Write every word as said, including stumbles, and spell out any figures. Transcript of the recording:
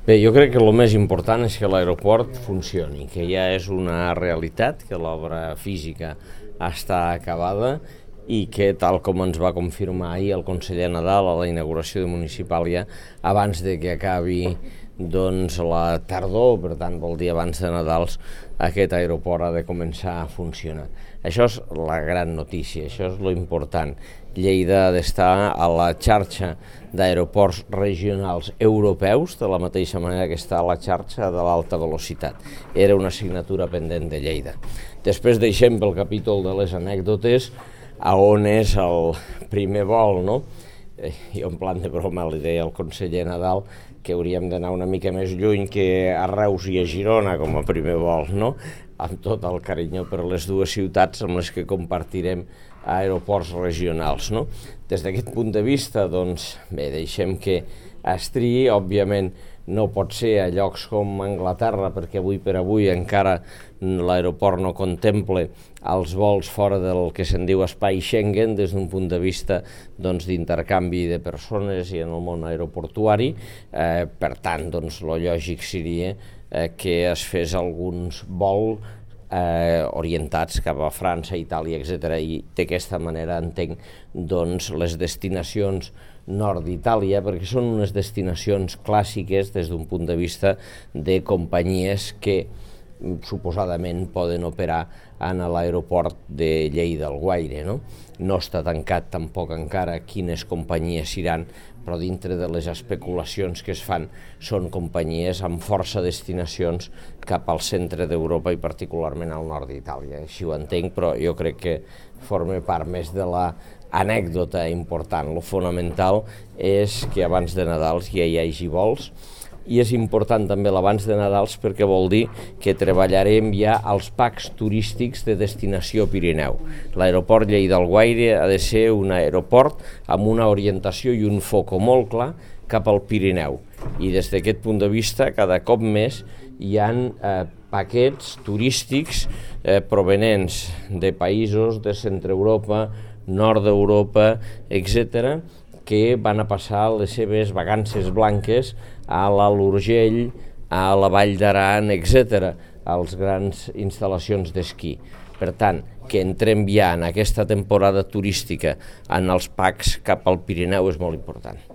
Bé, jo crec que el més important és que l'aeroport funcioni, que ja és una realitat, que l'obra física està acabada i que, tal com ens va confirmar ahir el conseller Nadal a la inauguració de Municipàlia, abans de que acabi doncs, la tardor, per tant vol dir abans de Nadals, aquest aeroport ha de començar a funcionar. Això és la gran notícia, això és lo important. Lleida ha d'estar a la xarxa d'aeroports regionals europeus, de la mateixa manera que està a la xarxa de l'alta velocitat. Era una assignatura pendent de Lleida. Després deixem pel capítol de les anècdotes a on és el primer vol, no? Jo en plan de broma li deia al conseller Nadal que hauríem d'anar una mica més lluny que a Reus i a Girona com a primer vol, no? Amb tot el carinyo per les dues ciutats amb les que compartirem aeroports regionals, no? Des d'aquest punt de vista, doncs, bé, deixem que es triï, òbviament no pot ser a llocs com Anglaterra, perquè avui per avui encara l'aeroport no contempla els vols fora del que se'n diu espai Schengen des d'un punt de vista doncs, d'intercanvi de persones i en el món aeroportuari. Eh, per tant, doncs, lo lògic seria eh, que es fes alguns vols Eh, orientats cap a França, Itàlia, etcètera. I d'aquesta manera entenc doncs, les destinacions nord d'Itàlia, perquè són unes destinacions clàssiques des d'un punt de vista de companyies que suposadament poden operar en l'aeroport de Lleida-Alguaire, no? No està tancat tampoc encara quines companyies iran, però dintre de les especulacions que es fan són companyies amb força destinacions cap al centre d'Europa i particularment al nord d'Itàlia. Així ho entenc, però jo crec que forma part més de la anècdota important. Lo fonamental és que abans de Nadal ja hi hagi vols, i és important també l'abans de Nadals perquè vol dir que treballarem ja als packs turístics de destinació Pirineu. L'aeroport Lleida-Alguaire ha de ser un aeroport amb una orientació i un foco molt clar cap al Pirineu. I des d'aquest punt de vista, cada cop més hi ha eh, paquets turístics eh, provenents de països de Centre Europa, Nord d'Europa, etcètera, que van a passar les seves vacances blanques a l'Alt Urgell, a la Vall d'Aran, etcètera, a les grans instal·lacions d'esquí. Per tant, que entrem ja en aquesta temporada turística en els packs cap al Pirineu és molt important.